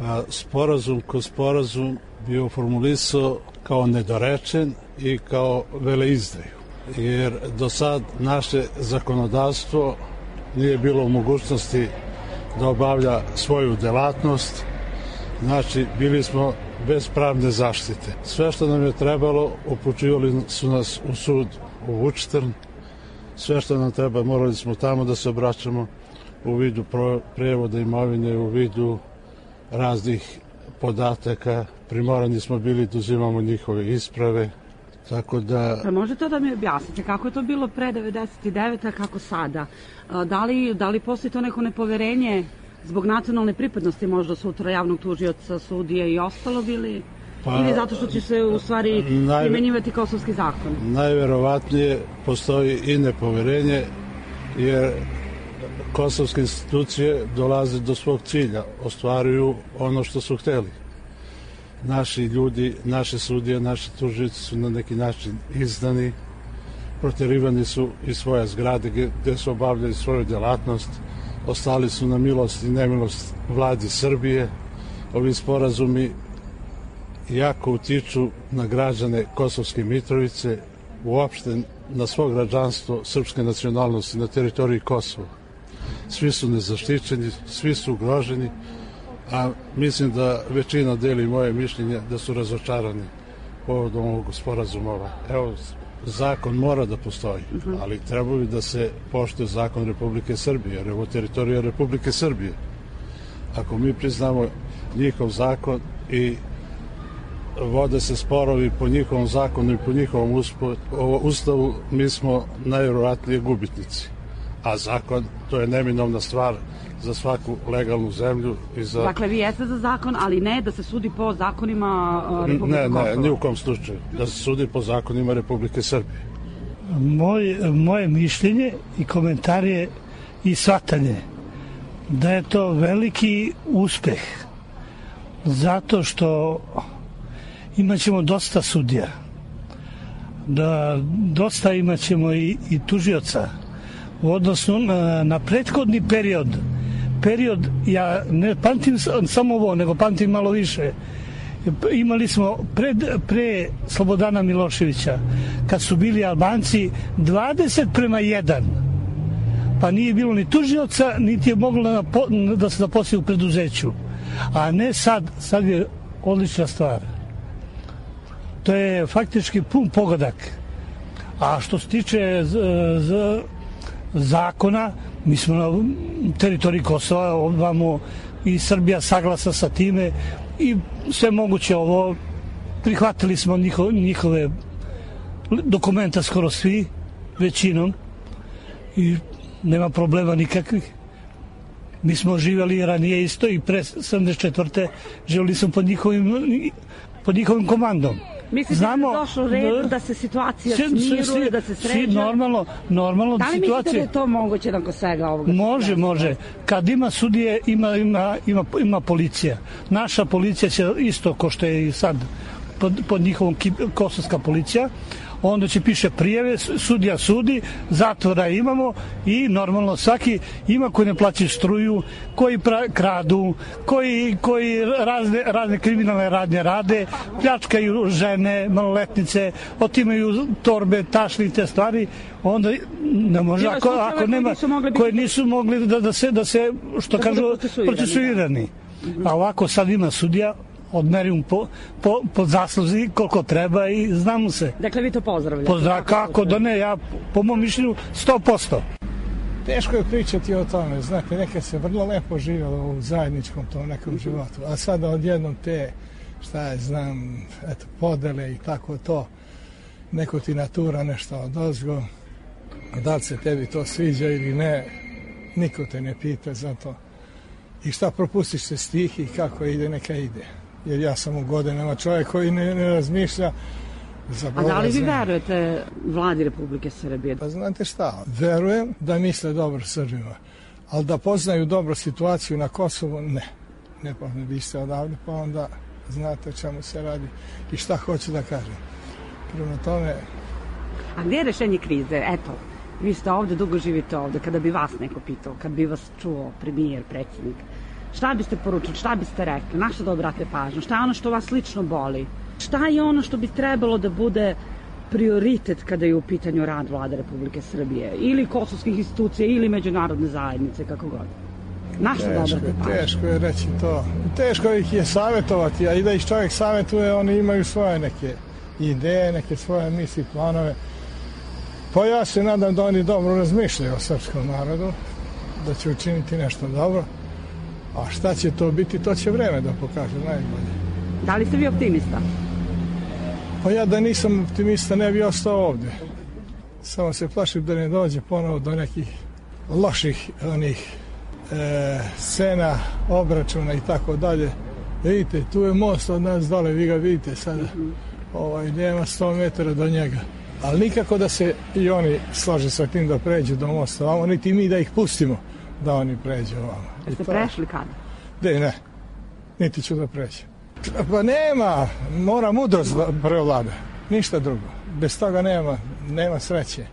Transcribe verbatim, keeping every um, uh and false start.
Pa sporazum ko sporazum bio formulisao kao nedorečen i kao veleizdaju. Jer do sad naše zakonodavstvo nije bilo u mogućnosti da obavlja svoju delatnost. Znači, bili smo bez pravne zaštite. Sve što nam je trebalo, upućivali su nas u sud u Vučtrn. Sve što nam treba, morali smo tamo da se obraćamo u vidu prevoda imovine, u vidu raznih podataka. Primorani smo bili da uzimamo njihove isprave. Tako da... Pa može to da mi objasnite kako je to bilo pre devedeset devete. a kako sada? Da li, da li postoji to neko nepoverenje zbog nacionalne pripadnosti možda sutra javnog tužioca, sudije i ostalog ili, pa, ili zato što će se u stvari naj... primenjivati kosovski zakon? Najverovatnije postoji i nepoverenje jer kosovske institucije dolaze do svog cilja, ostvaruju ono što su hteli. Naši ljudi, naše sudije, naši tužioci su na neki način izdani, proterivani su iz svoje zgrade gde su obavljali svoju delatnost, ostali su na milost i nemilost vladi Srbije. Ovi sporazumi jako utiču na građane Kosovske Mitrovice, uopšte na svo građanstvo srpske nacionalnosti na teritoriji Kosova. Svi su nezaštićeni, svi su ugroženi, a mislim da većina deli moje mišljenje da su razočarani povodom ovog sporazuma. Evo, zakon mora da postoji, ali treba bi da se poštuje zakon Republike Srbije, jer je ovo teritorija Republike Srbije. Ako mi priznamo njihov zakon i vode se sporovi po njihovom zakonu i po njihovom ustavu, mi smo najvjerovatnije gubitnici. A zakon, to je neminovna stvar za svaku legalnu zemlju. I za... Dakle, vi jeste za zakon, ali ne da se sudi po zakonima Republike ne, Kosova? Ne, ni u kom slučaju. Da se sudi po zakonima Republike Srbije. Moj, moje mišljenje i komentar je i shvatanje da je to veliki uspeh zato što imaćemo dosta sudija, da dosta imaćemo i, i tužioca u odnosu na, na prethodni period. Period, ja ne pamtim samo ovo, nego pamtim malo više. Imali smo pred, pre Slobodana Miloševića, kad su bili Albanci dvadeset prema jedan, pa nije bilo ni tužioca, niti je moglo da se zaposli u preduzeću. A ne sad, sad je odlična stvar. To je faktički pun pogodak. A što se tiče z, z, zakona, mi smo na teritoriji Kosova, ovamo i Srbija saglasa sa time i sve moguće ovo, prihvatili smo njiho, njihove dokumenta skoro svi, većinom, i nema problema nikakvih. Mi smo živjeli ranije isto i pre sedamdeset četvrte živjeli smo pod njihovim, pod njihovim komandom. Mislite Znamo, da je došlo red da se situacija smiruje, da se sređa? Normalno, normalno da li situacija... mislite da je to moguće nakon svega ovoga? Može, može. Kad ima sudije, ima, ima, ima, ima policija. Naša policija će isto, ko što je i sad pod, pod njihovom kosovska policija, onda će piše prijeve, sudija sudi, zatvora imamo i normalno svaki ima koji ne plaćaju struju, koji pra, kradu, koji, koji razne, razne kriminalne radnje rade, pljačkaju žene, maloletnice, otimaju torbe, tašni, te stvari, onda ne može, ako, ako nema, koji nisu mogli da, da se, da se, što da kažu, procesuirani. A ovako sad ima sudija, odmerim po, po, po zasluzi koliko treba i znamo se. Dakle, vi to pozdravljate? Pozdrav, kako da ne, ja po mom mišljenju sto posto. Teško je pričati o tome, znate, nekad se vrlo lepo živjelo u zajedničkom tom nekom životu, a sada odjednom te, šta je, znam, eto, podele i tako to, neko ti natura nešto odozgo, da li se tebi to sviđa ili ne, niko te ne pita za to. I šta propustiš se stih i kako ide, neka ide. Jer ja sam u godinama čovjek koji ne, ne razmišlja. A da li vi verujete vladi Republike Srbije? Pa znate šta, verujem da misle dobro Srbima, ali da poznaju dobro situaciju na Kosovu, ne. Ne, pa vi ste odavde, pa onda znate o čemu se radi i šta hoću da kažem. Prema tome... A gdje je rešenje krize? Eto, vi ste ovde, dugo živite ovde, kada bi vas neko pitao, kada bi vas čuo premijer, predsjednik, Šta biste poručili, šta biste rekli, na što da obrate pažnju, šta je ono što vas lično boli, šta je ono što bi trebalo da bude prioritet kada je u pitanju rad Vlade Republike Srbije ili kosovskih institucija ili međunarodne zajednice, kako god. Na što da obrate pažnju? Teško je reći to. Teško ih je savjetovati, a i da ih čovjek savjetuje, oni imaju svoje neke ideje, neke svoje misli, planove. Pa ja se nadam da oni dobro razmišljaju o srpskom narodu, da će učiniti nešto dobro. A šta će to biti, to će vreme da pokaže najbolje. Da li ste vi optimista? Pa ja da nisam optimista ne bi ostao ovdje. Samo se plašim da ne dođe ponovo do nekih loših onih e, scena, obračuna i tako dalje. Vidite, tu je most od nas dole, vi ga vidite sada. Ovaj, nema sto metara do njega. Ali nikako da se i oni slože sa tim da pređu do mosta ovamo, niti mi da ih pustimo da oni pređu ovamo. Jeste prešli kada? De, ne, niti ću da pređem. Pa nema, mora mudrost prevlada, ništa drugo. Bez toga nema, nema sreće.